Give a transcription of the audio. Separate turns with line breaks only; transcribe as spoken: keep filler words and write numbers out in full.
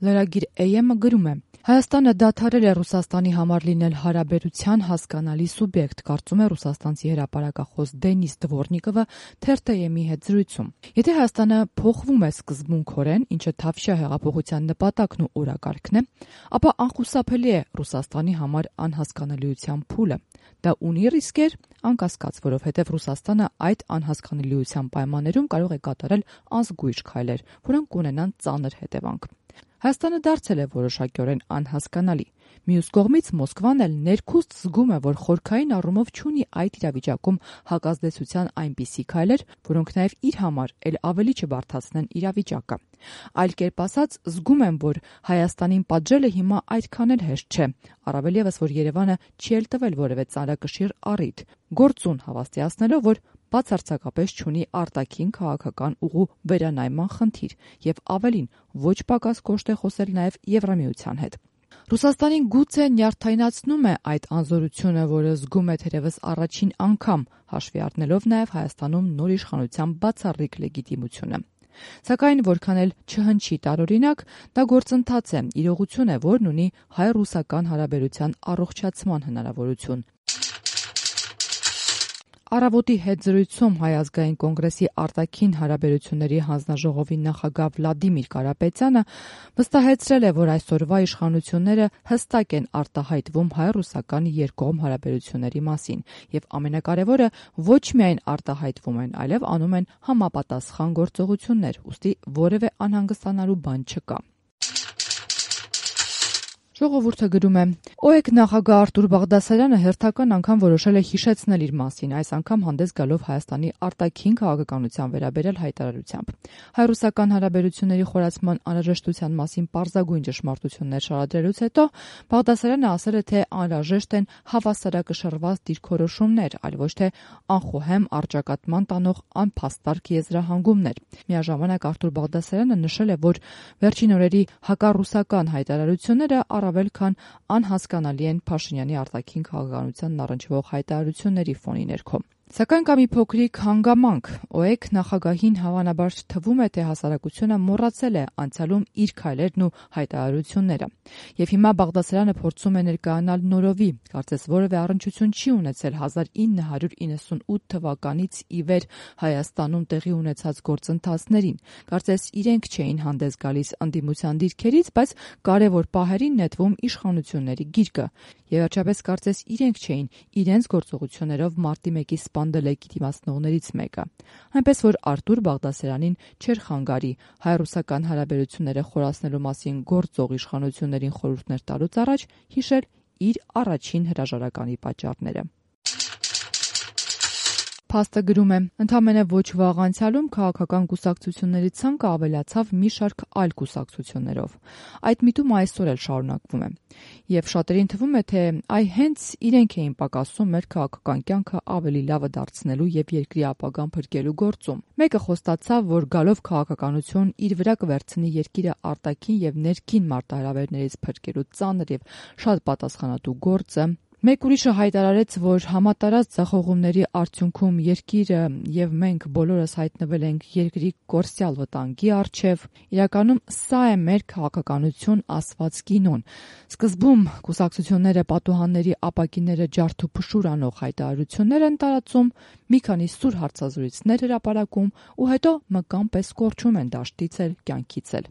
Լրագիր Է Էմ-ը գրում է. Հայաստանը դադարել է Ռուսաստանի համար լինել հարաբերության հասկանալի սուբյեկտ, կարծում է ռուսաստանցի հրապարակախոս Դենիս Դվորնիկովը թերթ Է Էմ-ի հետ զրույցում։ Եթե Հայաստանը փոխվում է սկզբունքորեն, ինչը Թավշյա հեղափոխության նպատակն ու օրակարգն է, ապա անխուսափելի է Ռուսաստանի համար անհասկանալիության փուլը։ Դա ունի ռիսկեր, անկասկած, որովհետև Ռուսաստանը այդ անհասկանալիության պայմաններում կարող է կատարել անզգույշ քայլեր, որոնք կունենան ծանր հետևանք։ Հայաստանը դարձել է որոշակիորեն անհասկանալի։ Մյուս կողմից Մոսկվան էլ ներքուստ զգում է, որ խորքային առումով չունի այդ իրավիճակում հակազդեցության այնպիսի քայլեր, որոնք նաև իր համար էլ ավելի չբարդացնեն իրավիճակը։ Այլ կերպ ասած, զգում եմ, որ Հայաստանին պատժելը հիմա այդքան էլ հեշտ չէ, առավել ևս, որ Երևանը չի էլ տվել որևէ ծանրակշիռ առիթ, գործուն հավաստիացնելով, որ բացարձակապես չունի արտաքին քաղաքական ուղու վերանայման խնդիր եւ ավելին ոչ պակաս կոշտ է խոսել նաեւ Եվրամիության հետ։ Ռուսաստանին գուցե նյարդայնացնում է այդ անզորությունը, որը զգում է թերևս առաջին անգամ, հաշվի առնելով նաեւ Հայաստանում նոր իշխանության բացառիկ լեգիտիմությունը։ Սակայն որքան էլ չհնչի տարօրինակ, դա գործընթաց է, իրողություն է, որն ունի հայ-ռուսական հարաբերության առողջացման հնարավորություն։ Առավոտի հետ զրույցում Հայ ազգային կոնգրեսի արտաքին հարաբերությունների հանձնաժողովի նախագահ Վլադիմիր Կարապետյանը վստահեցրել է, որ այսօրվա իշխանությունները հստակ են արտահայտվում հայ-ռուսական երկկողմ հարաբերությունների մասին եւ ամենակարևորը ոչ միայն արտահայտվում են, այլև անում են համապատասխան գործողություններ, ուստի որևէ անհանգստանալու բան չկա։ Ժողովուրդը գրում է. ՕԵԿ նախագահ Արտուր Բաղդասարյանը հերթական անգամ որոշել է հիշեցնել իր մասին, այս անգամ հանդես գալով Հայաստանի արտաքին քաղաքականության վերաբերյալ հայտարարությամբ։ Հայ-ռուսական հարաբերությունների խորացման անհրաժեշտության մասին պարզագույն ճշմարտություններ շարադրելուց հետո Բաղդասարյանը ասել է, թե անհրաժեշտ են հավասարակշռված դիրքորոշումներ, այլ ոչ թե անխոհեմ առճակատման տանող անփաստարկ եզրահանգումներ։ Միաժամանակ Արտուր Բաղդասարյանը նշել է, որ վերջին օրերի հակառուսական հայտարարությունները առավել քան անհասկանալի են Փաշինյանի արտաքին քաղաքականությանն առնչվող հայտարարությունների ֆոնի ներքո։ Սակայն կա մի փոքրիկ հանգամանք։ ՕԵԿ նախագահին հավանաբար թվում է, թե հասարակությունը մոռացել է անցյալում իր քայլերն ու հայտարարությունները։ Եվ հիմա Բաղդասարյանը փորձում է ներկայանալ նորովի, կարծես որևէ առնչություն չի ունեցել հազար ինը հարյուր իննսունութ թվականից ի վեր Հայաստանում տեղի ունեցած գործընթացներին։ Կարծես իրենք չէին հանդես գալիս ընդդիմության դիրքերից, բայց կարևոր պահերին նետվում իշխանությունների գիրկը։ Եվ վերջապես կարծես իրենք չէին իրենց գործողություններով մարտի մեկի սպանդել լեգիտիմացնողներից մեկը։ Այնպես որ Արտուր Բաղդասարյանին չէր խանգարի հայ-ռուսական հարաբերությունները խորացնելու մասին գործող իշխանություններին խորհուրդներ տալուց առաջ հիշել իր առաջին հրաժարականի պատճառները։ Փաստը գրում է. ընդամենը ոչ վաղ անցյալում քաղաքական կուսակցությունների ցանկը ավելացավ մի շարք այլ կուսակցություններով։ Այդ միտումը այսօր էլ շարունակվում է։ Եվ շատերին թվում է, թե այ հենց իրենք էին պակասում մեր քաղաքական կյանքը ավելի լավը դարձնելու եւ երկրի ապագան փրկելու գործում։ Մեկը խոստացավ, որ գալով քաղաքականություն իր վրա կվերցնի երկիրը արտաքին եւ ներքին մարտահրավերներից փրկելու ծանր եւ շատ պատասխանատու գործը։ Մեկ ուրիշը հայտարարեց, որ համատարած ձախողումների արդյունքում երկիրը եւ մենք բոլորս հայտնվել ենք երկրի կորսյալ վտանգի առջև։ Իրականում սա է մեր քաղաքականություն ասված կինոն։ Սկզբում կուսակցությունները պատուհանների ապակիները ջարդ ու փշուր անող հայտարարություններ են տարածում, մի քանի սուր հարցազրույցներ հրապարակում ու հետո մկան պես կորչում են դաշտից էլ, կյանքից էլ։